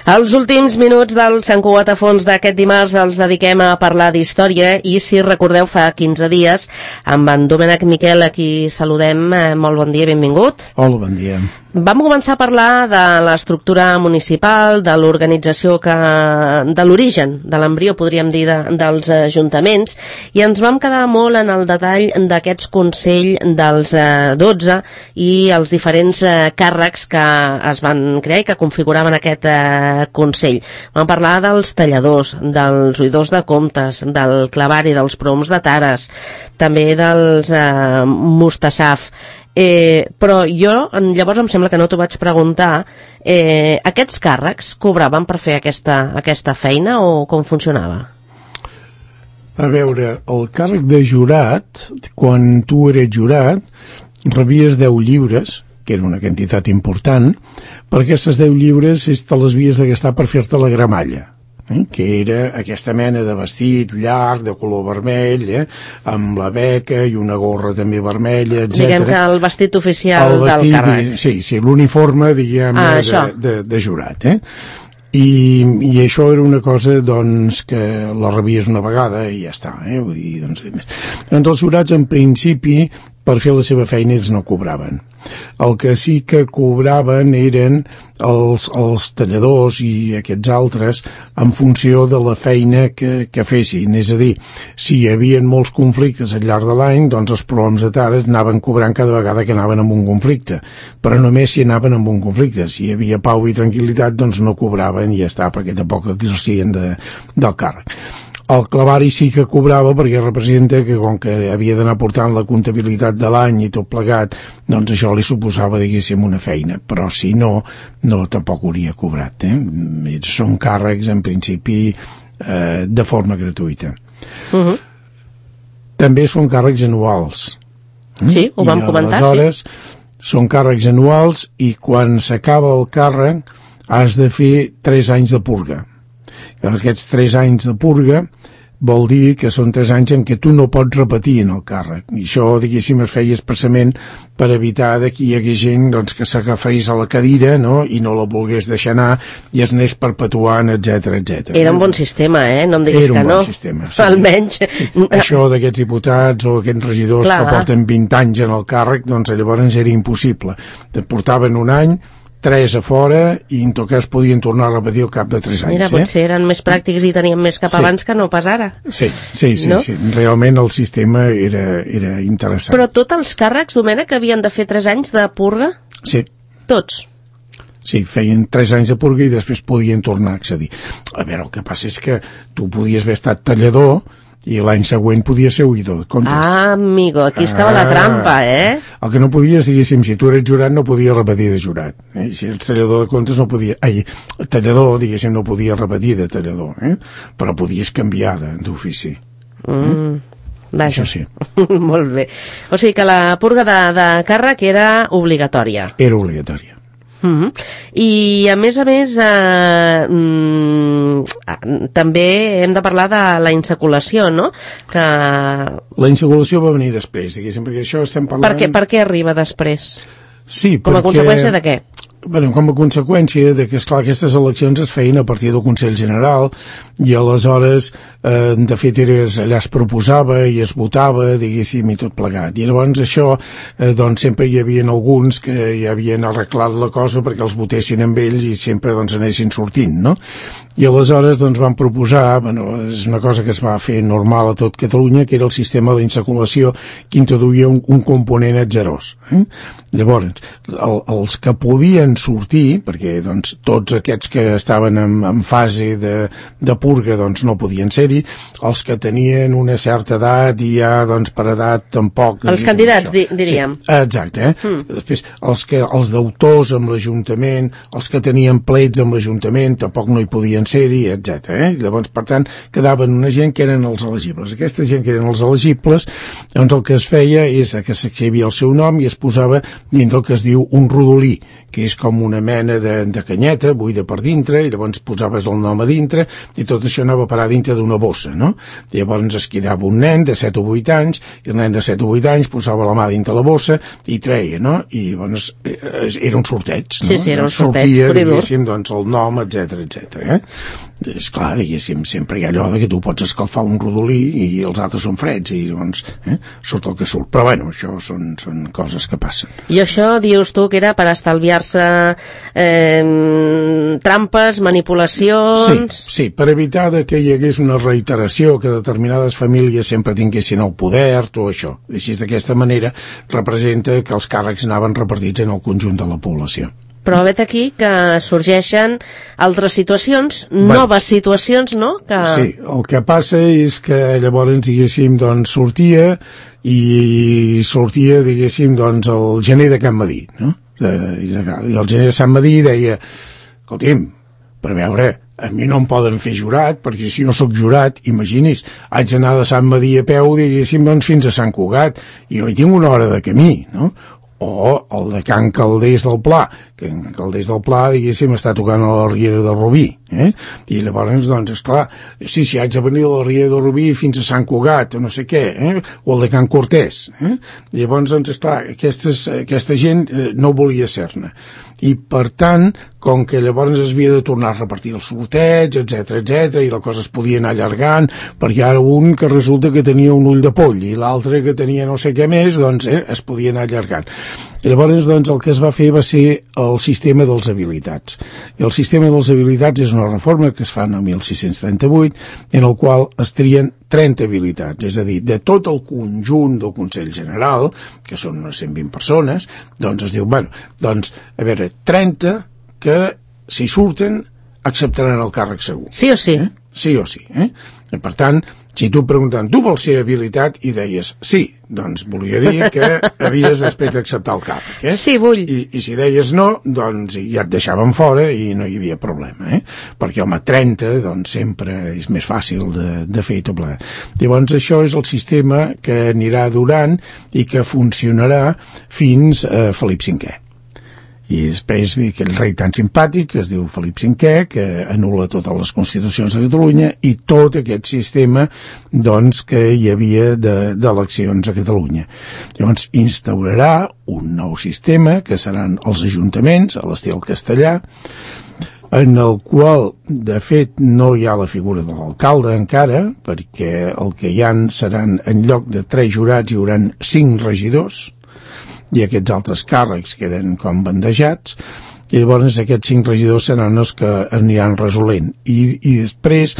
Els últims minuts del Sant Cugat a fons d'aquest dimarts els dediquem a parlar d'història i, si recordeu, fa 15 dies amb en Domènec Miquel, a qui saludem. Molt bon dia, benvingut. Hola, bon dia. Vam començar a parlar de l'estructura municipal, de l'organització, de l'origen, de l'embrió, podríem dir, dels ajuntaments, i ens vam quedar molt en el detall d'aquests consells dels 12 i els diferents càrrecs que es van crear i que configuraven aquest Consell. Vam parlar dels talladors, dels oïdors de comptes, del clavari, dels proms de tares, també dels mostassaf. Però jo, llavors em sembla que no t'ho vaig preguntar, aquests càrrecs cobraven per fer aquesta feina o com funcionava? A veure, el càrrec de jurat, quan tu eres jurat, rebies 10 lliures, que era una quantitat important, per aquestes 10 lliures te les havies de gastar per fer-te la gramalla, que era aquesta mena de vestit llarg, de color vermell, amb la beca i una gorra també vermella, etc. Diguem que el vestit oficial del càrrec. Sí, l'uniforme, diguem, de jurat, I això era una cosa, doncs, que la rebies una vegada i ja està, Vull dir, doncs els jurats, en principi, per fer la seva feina, ells no cobraven. El que sí que cobraven eren els talladors i aquests altres en funció de la feina que fessin. És a dir, si hi havia molts conflictes al llarg de l'any, doncs els proms de tares anaven cobrant cada vegada que anaven amb un conflicte, però només si anaven amb un conflicte. Si hi havia pau i tranquil·litat, doncs no cobraven i ja està, perquè tampoc exercien del càrrec. El clavari sí que cobrava, perquè representa que, com que havia d'anar portant la comptabilitat de l'any i tot plegat, doncs això li suposava, diguéssim, una feina. Però si no tampoc hauria cobrat. Són càrrecs, en principi, de forma gratuïta. També són càrrecs anuals. Sí, ho vam comentar, aleshores, són càrrecs anuals i quan s'acaba el càrrec has de fer 3 anys de purga. Aquests 3 anys de purga vol dir que són 3 anys en què tu no pots repetir en el càrrec. I això, diguéssim, es feia expressament per evitar que hi hagués gent que s'agafés a la cadira, i no la volgués deixar anar i es anés perpetuant, etc. Era un bon sistema, no em diguis que no. Era un bon sistema, sí. Almenys. Això d'aquests diputats o aquests regidors que porten 20 anys en el càrrec, doncs llavors era impossible. Et portaven un any, 3 a fora, i en tot cas podien tornar a repetir al cap de 3 anys. Mira, potser eren més pràctics i tenien més cap abans que no pas ara. Sí. Realment el sistema era interessant. Però tots els càrrecs, Domènec, havien de fer 3 anys de purga? Sí. Tots? Sí, feien 3 anys de purga i després podien tornar a accedir. A veure, el que passa és que tu podies haver estat tallador i l'any següent podia ser oïdor de comptes. Ah, amigo, aquí estava la trampa, El que no podies, diguéssim, si tu eres jurat no podies repetir de jurat. I si eres tallador de comptes no podia... tallador, diguéssim, no podia repetir de tallador, però podies canviar d'ofici. Vaja. Això sí. Molt bé. O sigui que la purga de càrrec era obligatòria. Era obligatòria. I a més també hem de parlar de la insaculació, no? Que... La insaculació va venir després, diguéssim, perquè això estem parlant... Per què arriba després? Sí, com a conseqüència de què? Bueno, com a conseqüència de que, esclar, aquestes eleccions es feien a partir del Consell General i aleshores, de fet, allà es proposava i es votava, diguéssim, i tot plegat. I llavors això, doncs, sempre hi havia alguns que ja havien arreglat la cosa perquè els votessin amb ells i sempre, doncs, anessin sortint, no? I aleshores, doncs, van proposar, és una cosa que es va fer normal a tot Catalunya, que era el sistema de l'insaculació que introduïa un component atzerós. Llavors, els que podien sortir, perquè doncs, tots aquests que estaven en fase de purga doncs, no podien ser-hi, els que tenien una certa edat i ja doncs, per edat tampoc... Els candidats, diríem. Sí, exacte. Després, els deutors amb l'Ajuntament, els que tenien plets amb l'Ajuntament, tampoc no hi podien ser-hi, etc. Llavors, per tant, quedaven una gent que eren els elegibles. Aquesta gent que eren els elegibles, doncs el que es feia és que s'escrivia el seu nom i es posava dintre el que es diu un rodolí, que és com una mena de canyeta buida per dintre, i llavors posaves el nom a dintre, i tot això anava a parar dintre d'una bossa, no? I llavors es quedava un nen de 7 o 8 anys, i el nen de 7 o 8 anys posava la mà dintre la bossa i treia, no? I llavors era un sorteig, no? Sí, era un sorteig, sortia, diguéssim, doncs el nom, etc. És clar, diguéssim, sempre hi ha allò que tu pots escalfar un rodolí i els altres són freds, i llavors surt el que surt. Però bueno, això són coses que passen. I això dius tu que era per estalviar-se trampes, manipulacions... Sí, per evitar que hi hagués una reiteració, que determinades famílies sempre tinguessin el poder, tot això. Així, d'aquesta manera, representa que els càrrecs anaven repartits en el conjunt de la població. Però vet aquí que sorgeixen altres situacions, noves situacions, no? Sí, el que passa és que llavors, diguéssim, doncs sortia, diguéssim, doncs el gener de Can Madí, no? I el gener de Sant Madí deia, escolti'm, per veure, a mi no em poden fer jurat, perquè si jo sóc jurat, imagini's, haig d'anar de Sant Madí a peu, diguéssim, doncs fins a Sant Cugat, i jo hi tinc una hora de camí, no? O el de Can Calders del Pla, que en Calders del Pla, diguéssim, està tocant a la Riera de Rubí, i llavors, doncs, esclar, si haig de venir a la Riera de Rubí fins a Sant Cugat, o no sé què, o el de Can Cortés, llavors, doncs, esclar, aquesta gent no volia ser-ne. I, per tant, com que llavors es havia de tornar a repartir el sorteig, etc, i la cosa es podia anar allargant, perquè ara un que resulta que tenia un ull de poll i l'altre que tenia no sé què més, doncs es podia anar allargant. I llavors, doncs, el que es va fer va ser el sistema dels habilitats. I el sistema dels habilitats és una reforma que es fa en el 1638, en el qual es trien 30 habilitats, és a dir, de tot el conjunt del Consell General, que són unes 120 persones, doncs es diu, bueno, doncs, a veure, 30 que, si surten, acceptaran el càrrec segur. Sí o sí? Sí o sí. I, per tant, si tu preguntant, tu vols ser habilitat? I deies, sí, doncs volia dir que havies després d'acceptar el càrrec. Sí, vull. I si deies no, doncs ja et deixaven fora i no hi havia problema, perquè, home, 30, doncs sempre és més fàcil de fer tot plegat. Llavors, això és el sistema que anirà durant i que funcionarà fins a Felip V. I després ve aquell rei tan simpàtic que es diu Felip V, que anul·la totes les constitucions de Catalunya i tot aquest sistema, doncs, que hi havia d'eleccions a Catalunya. Llavors instaurarà un nou sistema, que seran els ajuntaments, a l'estil castellà, en el qual, de fet, no hi ha la figura de l'alcalde encara, perquè el que hi ha seran, en lloc de 3 jurats, hi haurà 5 regidors, i aquests altres càrrecs queden com bandejats, i llavors aquests 5 regidors seran els que aniran resolent. I després,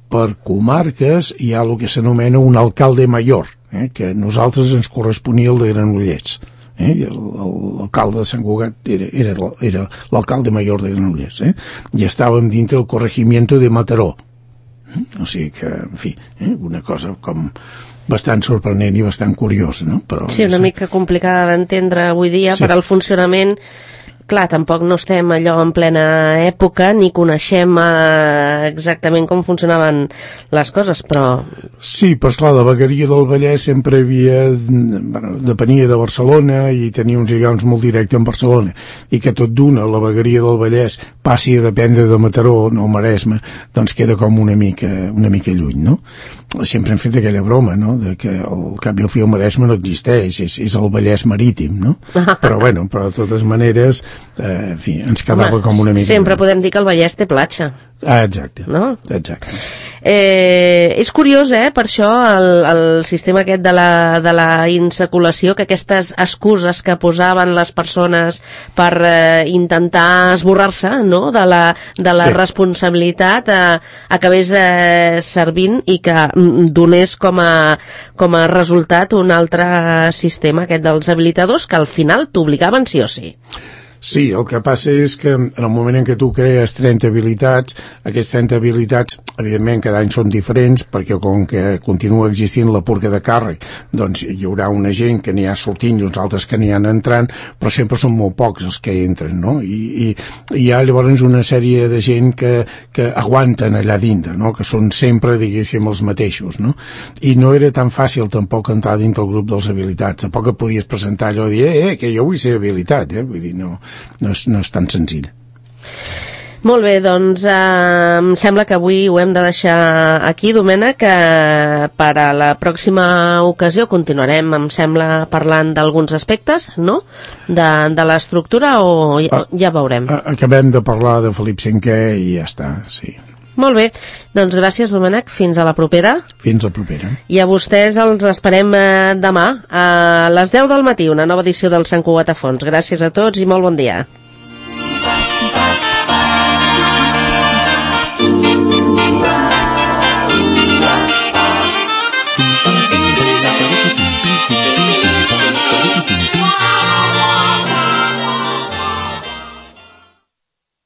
per comarques, hi ha el que s'anomena un alcalde major, que a nosaltres ens corresponia el de Granollers. L'alcalde de Sant Cugat era l'alcalde major de Granollers, i estàvem dintre el corregimiento de Mataró. O sigui que, en fi, una cosa com bastant sorprenent i bastant curiosa, no? Però, sí, una mica complicada d'entendre avui dia, sí. Per al funcionament. Clar, tampoc no estem allò en plena època ni coneixem exactament com funcionaven les coses, però... Sí, però esclar, la vegueria del Vallès sempre depenia de Barcelona i tenia uns lligams molt directes amb Barcelona, i que tot d'una la vegueria del Vallès passi a dependre de Mataró, no Maresme, doncs queda com una mica lluny, no? Sempre hem fet aquella broma, no?, de que al cap i al fi el Maresme no existeix, és el Vallès marítim, no? Però bueno, però de totes maneres, en fi, ens quedava com una mica... Sempre podem dir que el Vallès té platja. Exacte, no? Exacte. És curiós, per això, el sistema aquest de la insaculació, que aquestes excuses que posaven les persones per intentar esborrar-se, no?, de la responsabilitat, acabés servint i que donés com a resultat un altre sistema, aquest dels habilitadors, que al final t'obligaven sí o sí. Sí, el que passa és que en el moment en què tu crees 30 habilitats, aquestes 30 habilitats, evidentment, cada any són diferents, perquè com que continua existint la purga de càrrec, doncs hi haurà una gent que n'hi ha sortint i uns altres que n'hi ha entrant, però sempre són molt pocs els que entren, no? I hi ha llavors una sèrie de gent que aguanten allà dintre, no?, que són sempre, diguéssim, els mateixos, no? I no era tan fàcil tampoc entrar dintre el grup dels habilitats, tampoc et podies presentar allò i dir, que jo vull ser habilitat, vull dir, no... no és tan senzill. Molt bé, doncs em sembla que avui ho hem de deixar aquí, Domènec, que per a la pròxima ocasió continuarem, em sembla, parlant d'alguns aspectes, no?, de l'estructura, o ja veurem. Acabem de parlar de Felip V i ja està, sí. Molt bé, doncs gràcies, Domènec, fins a la propera. Fins a la propera. I a vostès els esperem demà a les 10 del matí, una nova edició del Sant Cugat a Fons. Gràcies a tots i molt bon dia.